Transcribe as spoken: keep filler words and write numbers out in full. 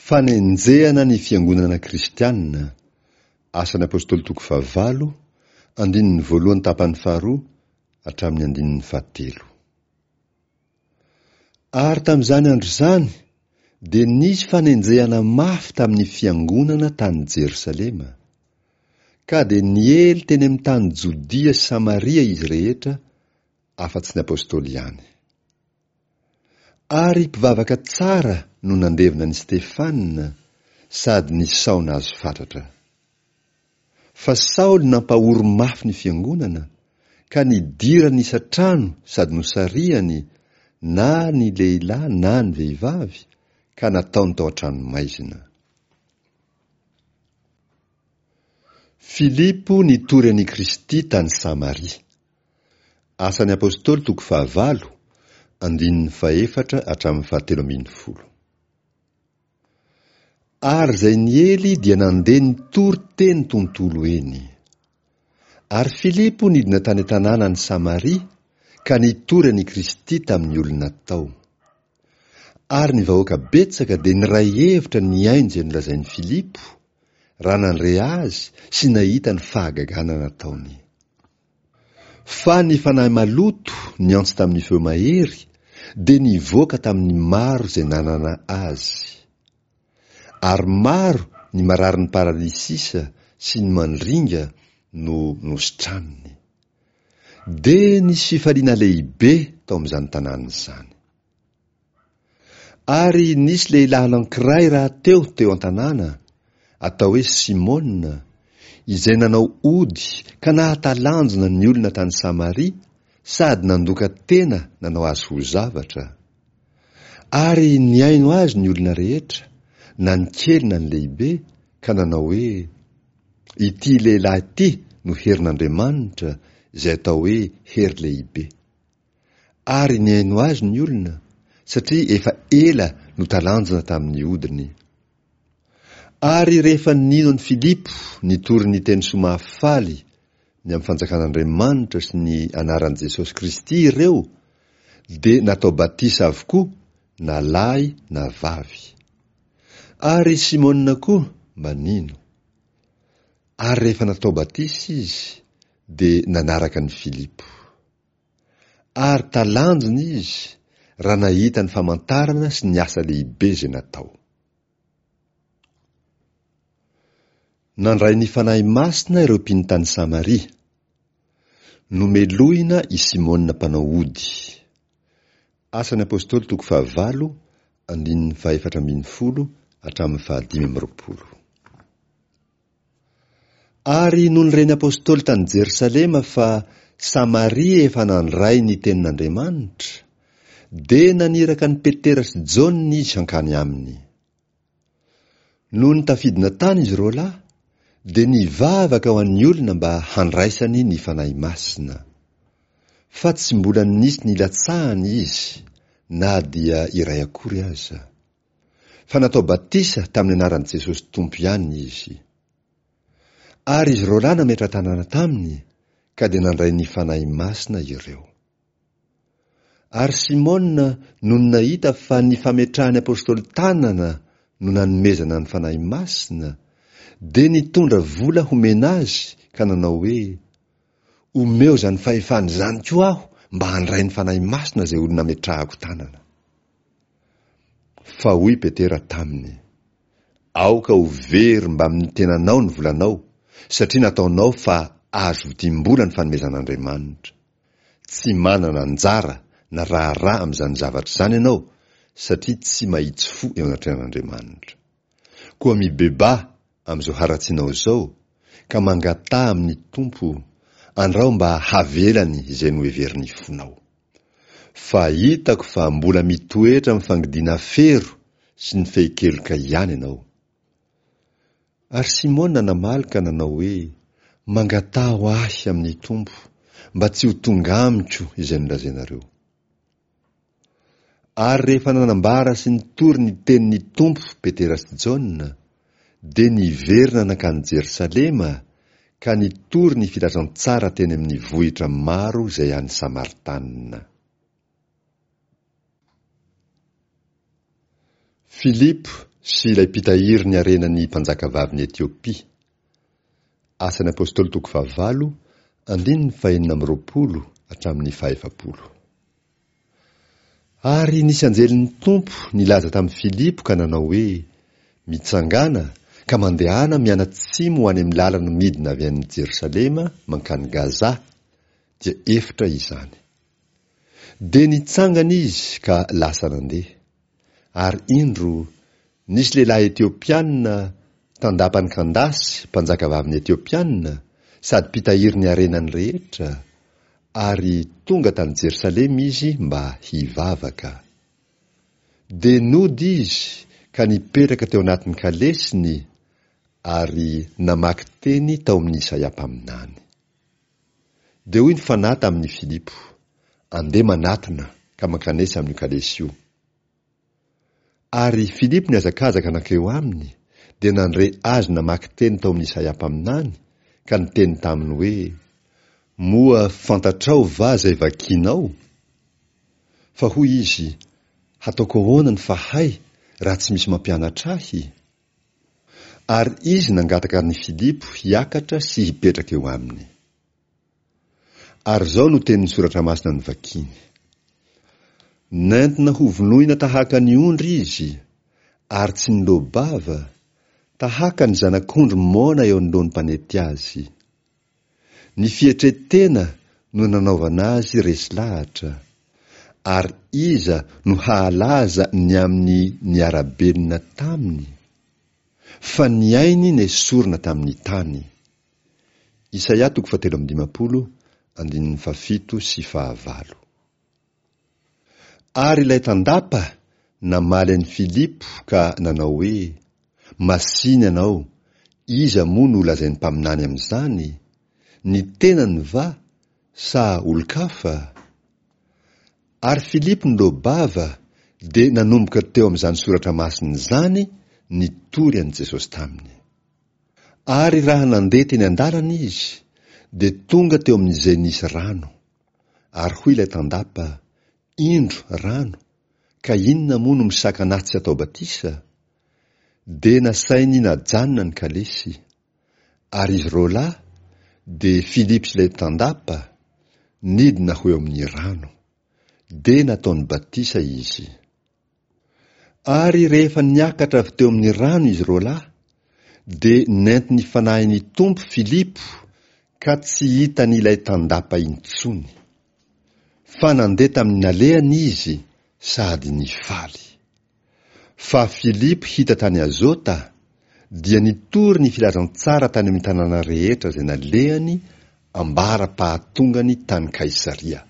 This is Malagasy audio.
Fanenjehana ny fiangonana kristianina, Asan'ny Apostoly toko fahavalo, andininy voalohany tapany faharoa hatramin'ny andininy fahatelo. Ary tamin'izany andro izany dia nisy fanenjehana mafy tamin'ny fiangonana tany Jerosalema, ka dia niely teny amin'ny tany Jodia sy Samaria izy rehetra afa-tsy ny Apostoly ihany. Ary mpivavaka tsara no nandevina an'i Stefana sady nisaona azy fatratra. Fa Saoly nampahory mafy ny fiangonana, ka nidirany isan-trano sady nosarihany na ny lehilahy na ny vehivavy, ka nataony tao an-tranomaizina. Filipo nitory an'i Kristy tany Samaria. Asan'ny Apostoly toko fahavalo, andininy fahefatra hatramin'ny fahatelo ambin'ny folo. Ary izay niely dia nandeha nitory teny tontolo eny. Ary Filipo nidina tany an-tanàna any Samaria ka nitory an'i Kristy tamin'ny olona tao. Ary ny vahoaka betsaka dia niray hevitra nihaino izay nolazain'i Filipo, raha nandre azy sy nahita ny fahagagana nataony. Fa ny fanahy maloto niantso tamin'ny feo mahery dia nivoaka tamin'ny maro izay nanana azy. Ary maro ny mararin'ny paralysisa sy ny mandringa no nositraniny. Dia nisy fifaliana lehibe tao amin'izany tanàna izany. Ary nisy lehilahy anankiray rahateo teo an-tanàna, atao hoe Simona, izay nanao ody ka nahatalanjona ny olona tany Samaria sady nandoka tena nanao azy ho zavatra. Ary nihaino azy ny olona rehetra, na ny kely na ny lehibe, ka nanao hoe, Ity lehilahy ity no herin'Andriamanitra, izay atao hoe hery lehibe. Ary nihaino azy ny olona, satria efa ela no talanjona tamin'ny odiny. Ary rehefa nino an'i Filipo nitory ny teny soa mahafaly ny amin'ny fanjakan'Andriamanitra sy ny anaran'i Jesosy Kristy ireo, dia natao batisa avokoa na lahy na vavy. Ary Simona koa mba nino. Ary rehefa natao batisa izy, dia nanaraka an'i Filipo. Ary talanjona izy raha nahita ny famantarana sy ny asa lehibe izay natao. Nandray ny Fanahy Masina ireo mpino tany Samaria. Nomelohina i Simona mpanao ody. Asan'ny Apostoly toko fahavalo, andininy fahefatra ambin'ny folo hatramin'ny fahadimy amby roapolo. Ary nony ren'ny Apostoly tany Jerosalema fa Samaria efa nandray ny tenin'Andriamanitra, dia naniraka an'i Petera sy Jaona izy hankany aminy. Nony tafidina tany izy roalahy, dia nivavaka ho an'ny olona mba handraisany ny Fanahy Masina. Fa tsy mbola nisy nilatsahany izy, na dia iray akory aza. Fa natao batisa tamin'ny anaran'i Jesosy Tompo ihany izy. Ary izy roalahy nametra-tanana taminy, ka dia nandray ny Fanahy Masina ireo. Ary Simona nony nahita fa ny fametrahan'ny Apostoly tanana no nanomezana ny Fanahy Masina, dia nitondra vola homena azy ka nanao hoe, Omeo izany fahefana izany koa aho mba handray ny Fanahy Masina izay olona ametrahako tanana. Fa hoy Petera taminy, Aoka ho very mbamin'ny tenanao ny volanao, satria nataonao fa azo vidim-bola ny fanomezan'Andriamanitra. Tsy manana anjara na raharaha amin'izany zavatra izany ianao, satria tsy mahitsy fo eo anatrehan'Andriamanitra. Koa mibebaha amin'izao haratsianao izao, ka mangataha amin'ny Tompo, andrao mba havelany izay noheverin'ny fonao. Fa hitako fa mbola mitoetra amin'ny fangidiana fero sy ny fehin-keloka ihany ianao. Ary Simona namaly ka nanao hoe, Mangataho ahy amin'ny Tompo, mba tsy ho tonga amiko izay nolazainareo. Ary rehefa nanambara sy nitory ny tenin'ny Tompo Petera sy Jaona, dia niverina nankany Jerosalema ka nitory ny filazantsara teny amin'ny vohitra maro izay any Samaritanina. Filipo sy ilay mpitahiry ny harenan'ny mpanjakavavin'i Etiopia. Asan'ny Apostoly toko fahavalo, andininy fahenina amby roapolo hatramin'ny fahefapolo. Ary nisy anjelin'ny Tompo nilaza tamin'i Filipo ka nanao hoe, Mitsangàna ka mandehana mianatsimo ho any amin'ny lalana midina avy any Jerosalema mankany Gaza, dia efitra izany. Dia nitsangana izy ka lasa nandeha. Ary indro, nisy lehilahy Etiopiana tandapan'i Kandasy, mpanjakavavin'ny Etiopiana, sady mpitahiry ny harenany rehetra, ary tonga tany Jerosalema izy mba hivavaka. Dia nody izy ka nipetraka teo anatin'ny kalesiny ary namaky teny tao amin'i Isaia mpaminany. Dia hoy ny Fanahy tamin'i Filipo, Andeha manatona ka mankanesa amin'io kalesy io. Ary Filipo nihazakazaka nankeo aminy, dia nandre azy namaky teny tao amin'i Isaia mpaminany, ka niteny taminy hoe, Moa fantatrao va izay vakinao? Fa hoy izy, Hataoko ahoana ny fahay raha tsy misy mampianatra ahy? Ary izy nangataka an'i Filipo hiakatra sy hipetraka eo aminy. Ary izao no tenin'ny Soratra Masina novakiny, Nentina hovonoina tahaka ny ondry izy, ary tsy niloa-bava, tahaka ny zanak'ondry moana eo anoloan'ny mpanety azy. Ny fietren-tena no nanaovana azy resy lahatra, ary iza no hahalaza ny amin'ny niara-belona taminy? Fa ny ainy nesorina tamin'ny tany. Isaia toko fahatelo amby dimampolo, andininy fahafito sy fahavalo. Ary ilay tandapa namaly an'i Filipo ka nanao hoe, Masìna ianao, iza moa no lazain'ny mpaminany amin'izany? Ny tenany va, sa olon-kafa? Ary Filipo niloa-bava dia nanomboka teo amin'izany soratra masina izany nitory an'i Jesosy taminy. Ary raha nandeha teny an-dalana izy, dia tonga teo amin'izay nisy rano. Ary hoy ilay tandapa, Indro rano, ka inona moa no misakana ahy tsy hatao batisa? Dia nasainy najanona ny kalesy. Ary izy roalahy, dia Filipo sy ilay tandapa, nidina ho eo amin'ny rano. Dia nataony batisa izy. Ary rehefa niakatra avy teo amin'ny rano izy roalahy, dia nentin'ny Fanahin'ny Tompo Filipo ka tsy hitan'ilay tandapa intsony. Fa nandeha tamin'ny nalehany izy sady nifaly. Fa Filipo hita tany Azota, dia nitory ny filazantsara tany amin'ny tanàna rehetra izay nalehany ambara-pahatongany tany Kaisaria.